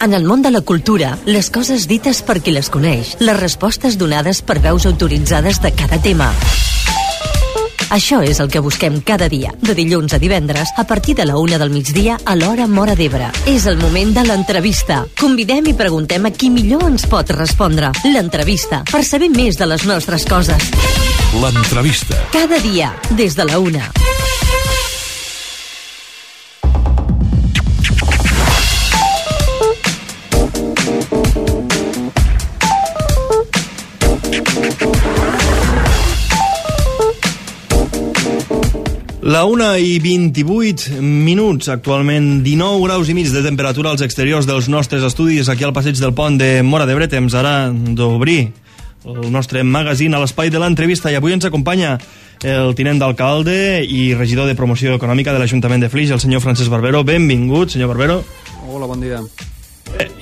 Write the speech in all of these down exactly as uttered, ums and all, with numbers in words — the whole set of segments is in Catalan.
En el món de la cultura, les coses dites per qui les coneix, les respostes donades per veus autoritzades de cada tema. Això és el que busquem cada dia, de dilluns a divendres, a partir de la una del migdia a l'hora Móra d'Ebre. És el moment de l'entrevista. Convidem i preguntem a qui millor ens pot respondre. L'entrevista, per saber més de les nostres coses. L'entrevista. Cada dia, des de la una. La una i vint-i-vuit minuts, actualment dinou graus i mig de temperatura als exteriors dels nostres estudis aquí al passeig del pont de Móra d'Ebre. Temps ara d'obrir el nostre magazín a l'espai de l'entrevista i avui ens acompanya el tinent d'alcalde i regidor de promoció econòmica de l'Ajuntament de Flix, el senyor Francesc Barbero. Benvingut, senyor Barbero. Hola, bon dia.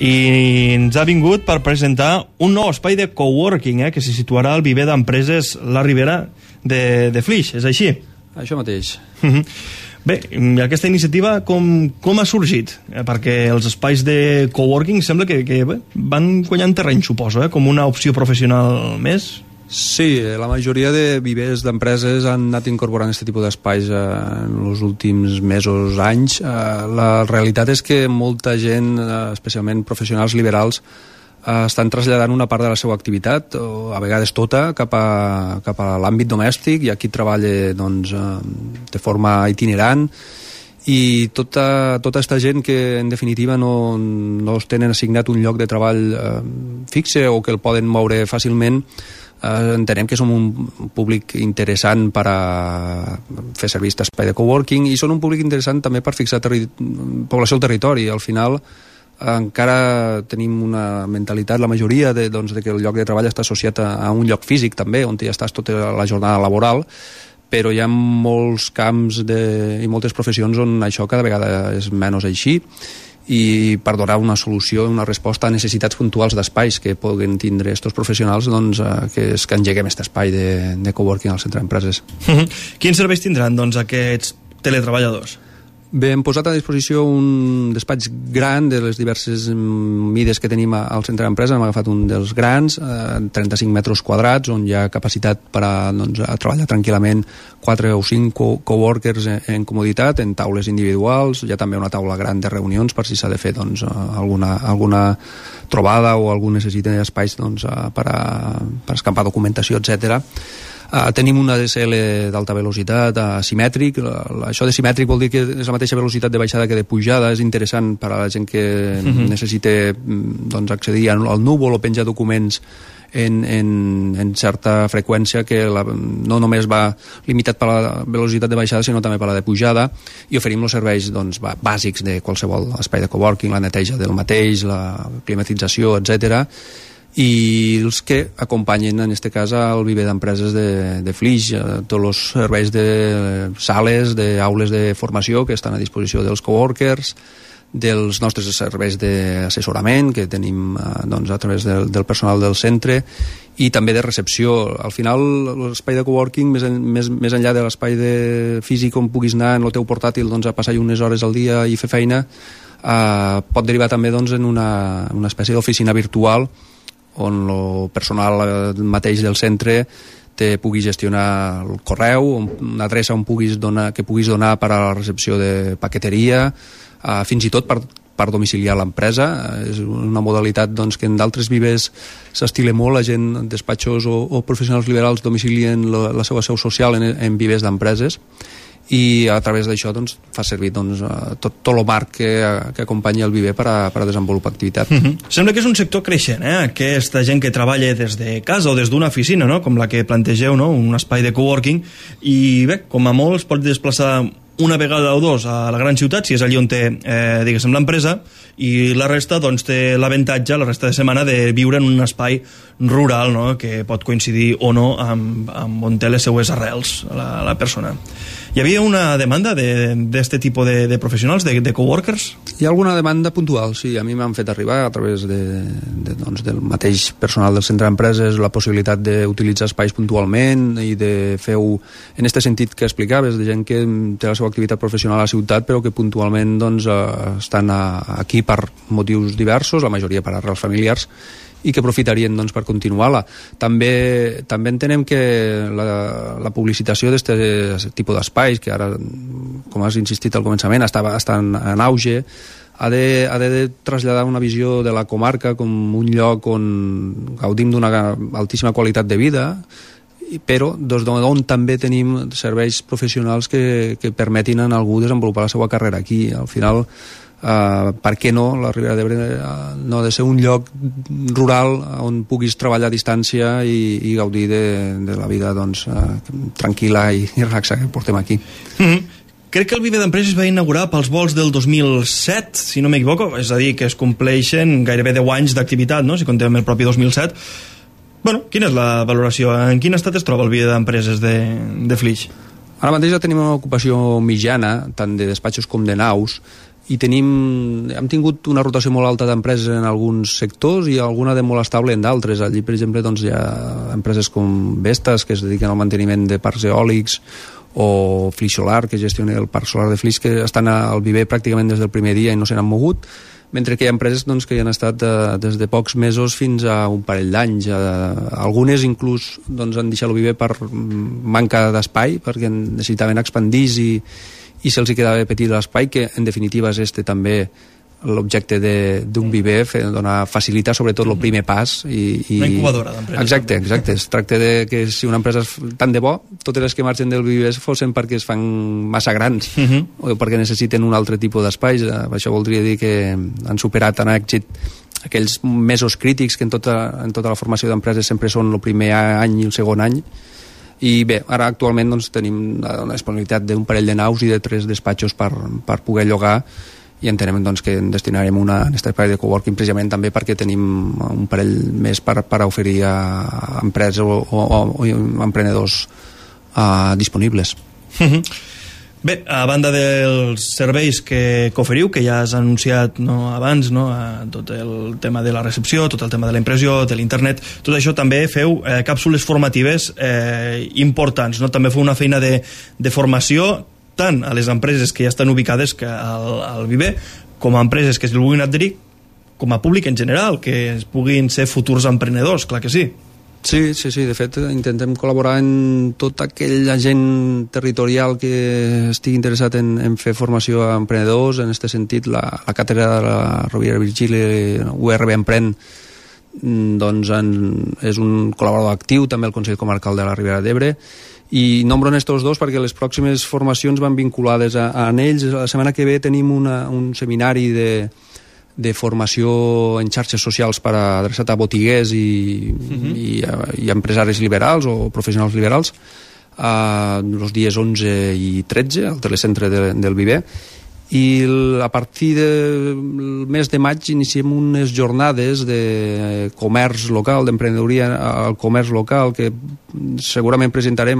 I ens ha vingut per presentar un nou espai de coworking eh, que se situarà al viver d'empreses La Ribera de, de Flix, és així? Això mateix. Bé, aquesta iniciativa com, com ha sorgit? Eh, perquè els espais de coworking sembla que, que bé, van guanyant terreny, suposo, eh, com una opció professional més. Sí, la majoria de vivers d'empreses han anat incorporant aquest tipus d'espais eh, en els últims mesos, anys. Eh, la realitat és que molta gent, eh, especialment professionals liberals, estan traslladant una part de la seva activitat, o a vegades tota, cap a, cap a l'àmbit domèstic. Hi ha qui treballa doncs, de forma itinerant i tota, tota aquesta gent que en definitiva no, no es tenen assignat un lloc de treball eh, fixe o que el poden moure fàcilment. Eh, entenem que som un públic interessant per a fer servir aquest espai de coworking i són un públic interessant també per fixar terri- població al territori. Al final encara tenim una mentalitat, la majoria, de, doncs, de que el lloc de treball està associat a, a un lloc físic també, on ja estàs tota la jornada laboral, però hi ha molts camps de, i moltes professions on això cada vegada és menys així, i per donar una solució, una resposta a necessitats puntuals d'espais que puguen tindre aquests professionals, doncs, eh, que és que engeguem aquest espai de, de coworking al centre d'empreses. Quins serveis tindran doncs, aquests teletreballadors? Bé, hem posat a disposició un despatx gran de les diverses mides que tenim al centre d'empresa. Hem agafat un dels grans, eh, trenta-cinc metres quadrats, on hi ha capacitat per a, doncs, a treballar tranquil·lament quatre o cinc co- coworkers en, en comoditat, en taules individuals. Hi ha també una taula gran de reunions per si s'ha de fer doncs, alguna, alguna trobada o algú necessita espais doncs, per, a, per escampar documentació, etcètera. Uh, tenim un A D S L d'alta velocitat uh, simètric. La, la, això de simètric vol dir que és la mateixa velocitat de baixada que de pujada. És interessant per a la gent que uh-huh. necessita doncs, accedir al, al núvol o penjar documents en, en, en certa freqüència, que la, no només va limitat per la velocitat de baixada sinó també per la de pujada, i oferim els serveis doncs, bàsics de qualsevol espai de coworking, la neteja del mateix, la climatització, etcètera, i els que acompanyen en aquest cas al viver d'empreses de, de Flix, tots els serveis de sales, d'aules de formació que estan a disposició dels coworkers, dels nostres serveis d'assessorament que tenim doncs, a través del, del personal del centre, i també de recepció. Al final l'espai de coworking, més, en, més, més enllà de l'espai de físic on puguis anar en el teu portàtil doncs, a passar unes hores al dia i fer feina, eh, pot derivar també doncs, en una, una espècie d'oficina virtual on el personal mateix del centre te pugui gestionar el correu, una adreça on puguis donar, que puguis donar per a la recepció de paqueteria, eh, fins i tot per, per domiciliar l'empresa. És una modalitat doncs, que en d'altres vivers s'estila molt, la gent, despatxos o, o professionals liberals domicilien la, la seva seu social en, en vivers d'empreses, i a través d'això doncs, fa servir doncs, tot, tot el marc que, que acompanya el viver per a, per a desenvolupar activitat. Uh-huh. Sembla que és un sector creixent, eh? Aquesta gent que treballa des de casa o des d'una oficina, no? Com la que plantegeu, no? Un espai de coworking, i bé, com a molt es pot desplaçar una vegada o dos a la gran ciutat, si és allí on té, eh, diguéssim, l'empresa, i la resta doncs, té l'avantatge, la resta de setmana, de viure en un espai rural, no? Que pot coincidir o no amb, amb on té les seues arrels la, la persona. Hi havia una demanda d'aquest tipus de, de professionals, de, de coworkers? Hi ha alguna demanda puntual, sí. A mi m'han fet arribar a través de, de, doncs, del mateix personal del centre d'empreses la possibilitat d'utilitzar espais puntualment i de fer-ho en aquest sentit que explicaves, de gent que té la seva activitat professional a la ciutat però que puntualment doncs, estan aquí per motius diversos, la majoria per arrels familiars, i que aprofitarien doncs, per continuar-la. També, també entenem que la, la publicitació d'aquest tipus d'espais, que ara, com has insistit al començament, està, està en, en auge, ha de, ha de traslladar una visió de la comarca com un lloc on gaudim d'una altíssima qualitat de vida, però des d'on també tenim serveis professionals que, que permetin a algú desenvolupar la seva carrera aquí. Al final, Uh, per què no, la Ribera d'Ebre uh, no ha de ser un lloc rural on puguis treballar a distància i, i gaudir de, de la vida doncs, uh, tranquil·la i, i relaxa que portem aquí. Mm-hmm. Crec que el Viver d'Empreses va inaugurar pels vols del dos mil set, si no m'equivoco, és a dir, que es compleixen gairebé deu anys d'activitat, no? Si contem el propi dos mil set. Bueno, quina és la valoració? En quin estat es troba el Viver d'Empreses de, de Flix? Ara mateix ja tenim una ocupació mitjana, tant de despatxos com de naus, i tenim, hem tingut una rotació molt alta d'empreses en alguns sectors i alguna de molt estable en d'altres. Allí, per exemple, doncs, hi ha empreses com Vestas, que es dediquen al manteniment de parcs eòlics, o Flix Solar, que gestiona el parc solar de Flix, que estan al Viver pràcticament des del primer dia i no se n'han mogut, mentre que hi ha empreses doncs, que hi han estat eh, des de pocs mesos fins a un parell d'anys. Eh, algunes inclús doncs, han deixat el Viver per manca d'espai, perquè necessitaven expandir-se i i se'ls quedava petit l'espai, que en definitiva és este també l'objecte d'un Viver, donar, facilitar sobretot el primer pas. I, i... Una incubadora d'empreses. Exacte, exacte. Es tracta de que si una empresa és tant de bo, totes les que marxen del Viver fossin perquè es fan massa grans uh -huh. o perquè necessiten un altre tipus d'espais. Això voldria dir que han superat en èxit aquells mesos crítics que en tota, en tota la formació d'empreses sempre són el primer any i el segon any. I bé, ara actualment doncs, tenim una disponibilitat d'un parell de naus i de tres despatxos per, per poder llogar, i entenem doncs, que en destinarem una en aquest espai de coworking precisament també perquè tenim un parell més per, per oferir a empreses o, o, o emprenedors uh, disponibles. Bé, a banda dels serveis que, que oferiu, que ja has anunciat no, abans, no, tot el tema de la recepció, tot el tema de la impressió, de l'internet, tot això també feu eh, càpsules formatives eh, importants, no? També feu una feina de, de formació tant a les empreses que ja estan ubicades que al, al Viver, com a empreses que es vulguin adherir, com a públic en general, que es puguin ser futurs emprenedors, clar que sí. Sí, sí, sí, de fet intentem col·laborar en tot aquell agent territorial que estigui interessat en, en fer formació a emprenedors. En aquest sentit, la, la càtedra de la Rovira i Virgili, U R B Emprèn, doncs en, és un col·laborador actiu, també el Consell Comarcal de la Ribera d'Ebre, i nombro en estos dos perquè les pròximes formacions van vinculades a, a ells. La setmana que ve tenim una, un seminari de de formació en xarxes socials per a adreçat a botiguers i, uh-huh. i, i empresaris liberals o professionals liberals uh, els dies onze i tretze al telecentre de, del Viver, i a partir del mes de maig iniciem unes jornades de comerç local, d'emprenedoria al comerç local, que segurament presentarem,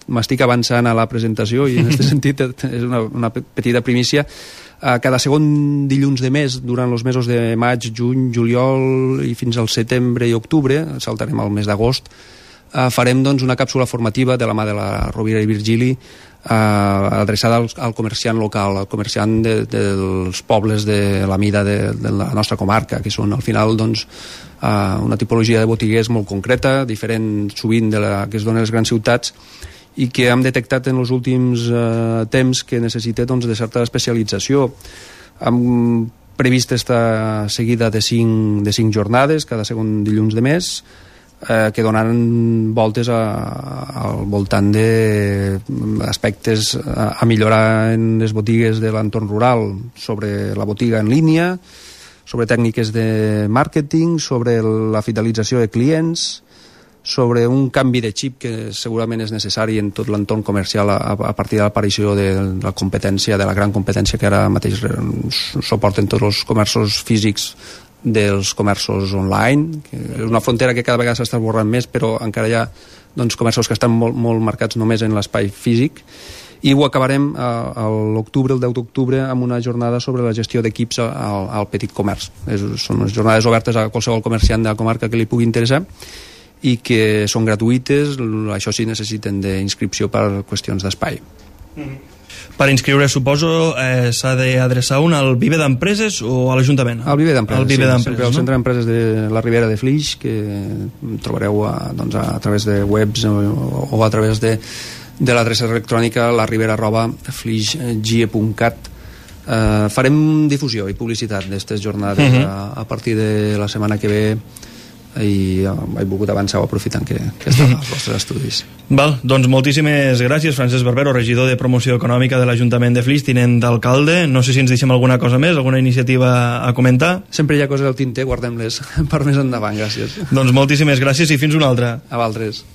m'estic avançant a la presentació i en aquest sentit és una, una petita primícia. Cada segon dilluns de mes, durant els mesos de maig, juny, juliol i fins al setembre i octubre, saltarem al mes d'agost, farem doncs, una càpsula formativa de la mà de la Rovira i Virgili eh, adreçada al, al comerciant local, al comerciant de, de, dels pobles de la mida de, de la nostra comarca, que són al final doncs, eh, una tipologia de botiguers molt concreta, diferent sovint de la que es dona a les grans ciutats, i que hem detectat en els últims eh, temps que necessita doncs, de certa especialització. Hem previst esta seguida de cinc, de cinc jornades, cada segon dilluns de mes, eh, que donaran voltes a, a, al voltant d'aspectes a, a millorar en les botigues de l'entorn rural, sobre la botiga en línia, sobre tècniques de màrqueting, sobre la fidelització de clients, sobre un canvi de xip que segurament és necessari en tot l'entorn comercial a, a partir de l'aparició de la competència, de la gran competència que ara mateix suporten tots els comerços físics dels comerços online, que és una frontera que cada vegada s'està esborrant més, però encara hi ha doncs, comerços que estan molt, molt marcats només en l'espai físic, i ho acabarem a, a l'octubre, el deu d'octubre, amb una jornada sobre la gestió d'equips al, al petit comerç. És, són unes jornades obertes a qualsevol comerciant de la comarca que li pugui interessar i que són gratuïtes, això sí necessiten d'inscripció per qüestions d'espai. Mm-hmm. Per inscriure, suposo, eh, s'ha d'adreçar un al Viver d'Empreses o a l'Ajuntament? Al Viver d'Empreses, sí, d'Empreses, al no? Centre d'Empreses de la Ribera de Flix, que trobareu a, doncs, a través de webs o, o a través de, de l'adreça electrònica laribera arroba flixgie punt cat. Eh, farem difusió i publicitat d'aquestes jornades uh-huh. a, a partir de la setmana que ve, i he volgut avançar aprofitant que, que estan als vostres estudis. Val, doncs moltíssimes gràcies, Francesc Barbero, regidor de Promoció Econòmica de l'Ajuntament de Flix, tinent d'alcalde. No sé si ens deixem alguna cosa més, alguna iniciativa a comentar. Sempre hi ha coses al tinter, guardem-les per més endavant, gràcies. Doncs moltíssimes gràcies i fins una altra. A vosaltres.